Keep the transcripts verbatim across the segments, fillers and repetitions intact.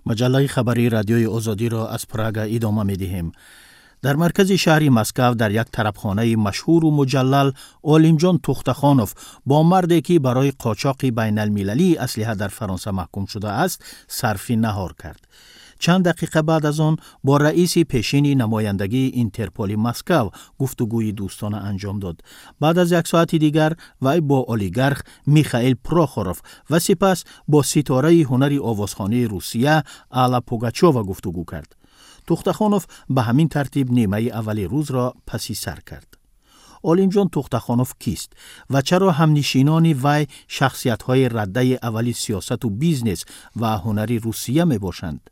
Маҷаллаи хабарии Радиои Озодиро аз Прага идома медиҳем. Дар маркази шаҳри Москав, дар як тарабхонаи машҳуру муҷаллал, Олимҷон Тухтахонов бо марде, ки барои қочоқи байналмилалии аслиҳа дар Фаронса маҳкум шудааст, сарфи наҳор кард. Чанд дақиқа баъд аз он бо раиси пешини намояндагии Интерполи Москав гуфтугӯи дӯстона анҷом дод. Баъд аз як соати дигар вай бо олигарх Михаил Прохоров ва сипас бо ситораи ҳунари овозхонии Русия Алла Пугачова гуфтугӯ кард. Тухтахонов ба ҳамин тартиб нимаи аввали рӯзро паси сар кард. Олимҷон Тухтахонов кист ва чаро ҳамнишинони вай шахсиятҳои раддаи аввали сиёсату бизнес ва ҳунари Русия мебошанд?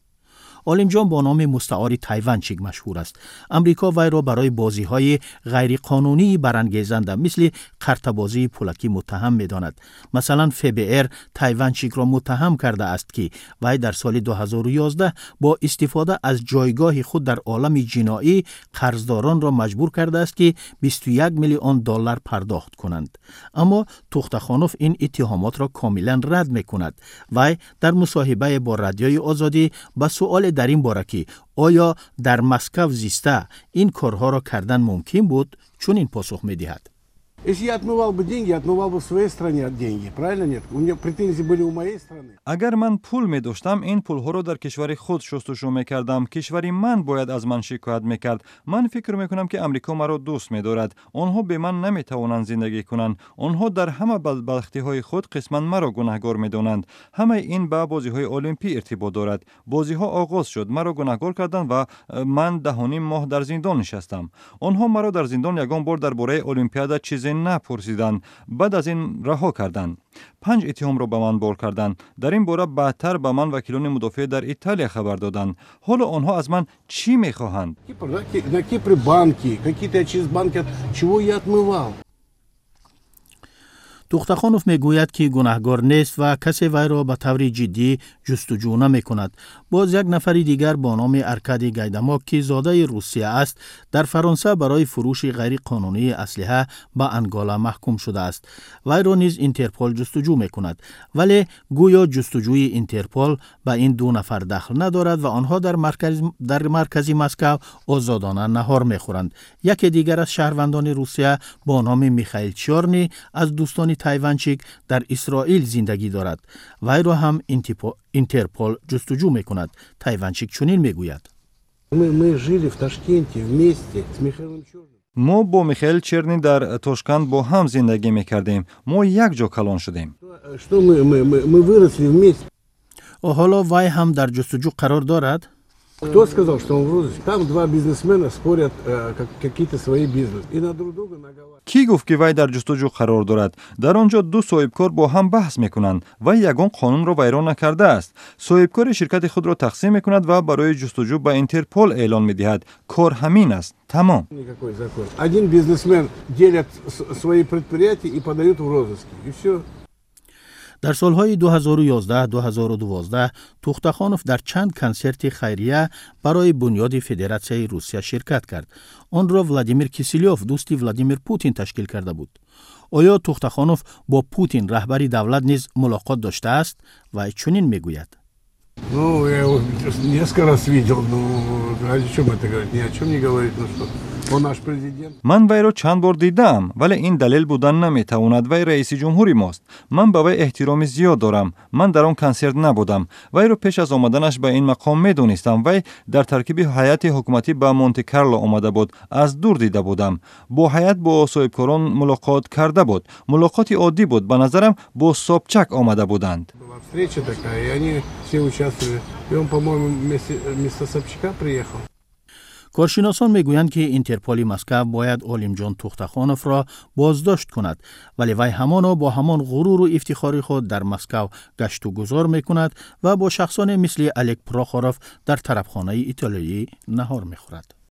Олимҷон бо номи мустаори Тайванчик машҳур аст. Амрико вайро барои бозиҳои ғайриқонунии барангезанда, мисли қартабозии пулакӣ, муттаҳам медонад. Масалан, Ф Б Р Тайванчикро муттаҳам кардааст, ки вай дар соли ду ҳазору ёздаҳ бо истифода аз ҷойгоҳи худ дар олами ҷиноӣ қарздоронро маҷбур кардааст, ки бисту як миллион доллар пардохт кунанд. Аммо Тухтахонов ин иттиҳомотро комилан рад мекунад. Вай дар мусоҳибае бо Радиои Озодӣ ба суоле дар ин бора, ки оё дар Москав зиста ин корҳоро кардан мумкин буд, чунин посух медиҳад: Если я отмывал бы деньги, я отмывал бы в своей стране деньги. Правильно, нет? У меня претензии были у моей страны. Агар ман пул медоштам, ин пулҳоро дар кишвари худ шустушӯ мекардам. Кишвари ман бояд аз ман шикоят мекард. Ман фикр мекунам, ки Амрико маро дӯст медорад. Онҳо бе ман наметавонанд зиндагӣ кунанд. Онҳо дар ҳама бадбахтиҳои худ қисман маро гунаҳгор медонанд. Ҳамаи ин ба бозиҳои олимпӣ иртибот дорад. Бозиҳо оғоз шуд, маро гунаҳгор карданд ва э, ман даҳуним моҳ дар зиндон нишастам. Онҳо маро дар зиндон ягон бор дар бораи олимпиада чизе напурсиданд. Баъд аз ин раҳо карданд. Панҷ иттиҳомро ба ман бор карданд. Дар ин бора баъдтар ба ман вакилони мудофиа дар Италия хабар доданд. Ҳоло онҳо аз ман чӣ мехоҳанд? На Кипре банки, какие-то я через банки, чего я отмывал? Тухтахонов мегӯяд, ки гунаҳгор нест ва касе вайро ба таври ҷиддӣ ҷустуҷӯ намекунад. Боз як нафари дигар бо номи Аркадий Гайдамок, ки зодаи Русия аст, дар Фаронса барои фурӯши ғайриқонунии аслиҳа ба Ангола маҳкум шудааст. Вайро низ Интерпол ҷустуҷӯ мекунад, вале гӯё ҷустуҷӯи Интерпол ба ин ду нафар дахл надорад ва онҳо дар, марказ, дар маркази Москав озодона наҳор мехӯранд. Яке дигар аз шаҳрвандони Русия бо номи Михаил Чёрни аз дӯстони Тайванчик дар Исроил зиндагӣ дорад. Вайро ҳам Интерпол ҷустуҷӯ мекунад. Тайванчик чунин мегӯяд: Мы, мы жили в Ташкенте вместе с Михаилом Черным. Мо бо Михаил Черни дар Тошканд бо ҳам зиндагӣ мекардем. Мо як ҷо калон шудем. Что мы, мы, мы, мы выросли вместе. Ҳоло вай ҳам дар ҷустуҷӯ қарор дорад? Кто сказал, что он в розыске? Там два бизнесмена спорят э, как, какие-то свои бизнесы. И на друг друга наговаривают. Кӣ гуфт, ки вай дар ҷустуҷӯ қарор дорад? Дар он ҷо ду соҳибкор бо ҳам баҳс мекунанд. Вай ягон қонунро вайрон накардааст. Соҳибкори ширкати худро тақсим мекунад ва барои ҷустуҷӯ ба Интерпол эълон медиҳад. Кор ҳамин аст, тамом. Никакой закон. Один бизнесмен делят свои предприятия и подают в розыск. И все. Дар солҳои ду ҳазору ёздаҳ-ду ҳазору дувоздаҳ Тухтахонов дар чанд консерти хайрия барои бунёди Федератсияи Русия ширкат кард. Онро Владимир Киселёв, дӯсти Владимир Путин, ташкил карда буд. Оё Тухтахонов бо Путин, раҳбари давлат, низ мулоқот доштааст? Вай чунин мегӯяд: Ну, я его несколько раз видел, ну, о чем это говорит? Ни о чем не говорит, ну что? Он наш президент. Ман вайро чанд бор дидаам, вале ин далел будан наметавонад. Вай раиси ҷумҳури мост. Ман ба вай эҳтироми зиёд дорам. Ман дар он консерт набудам. Вайро пеш аз омаданаш ба ин мақом медонистам. Вай дар таркиби ҳайати ҳукуматӣ ба Монте Карло омада буд. Аз дур дида будам. Бо ҳайат, бо соҳибкорон мулоқот карда буд. Мулоқоти оддӣ буд. Ба назарам, бо Собчак омада буданд. Была встреча такая, и они все участвовали. И он, по-моему, вместе, вместо Собчака приехал. Коршиносон мегӯянд, ки Интерполи Москав бояд Олимҷон Тухтахоновро боздошт кунад, вале вай ҳамоно бо ҳамон ғуруру ифтихори худ дар Москав гашту гузор мекунад ва бо шахсоне мисли Олег Прохоров дар тарабхонаи итолиёӣ наҳор мехӯрад.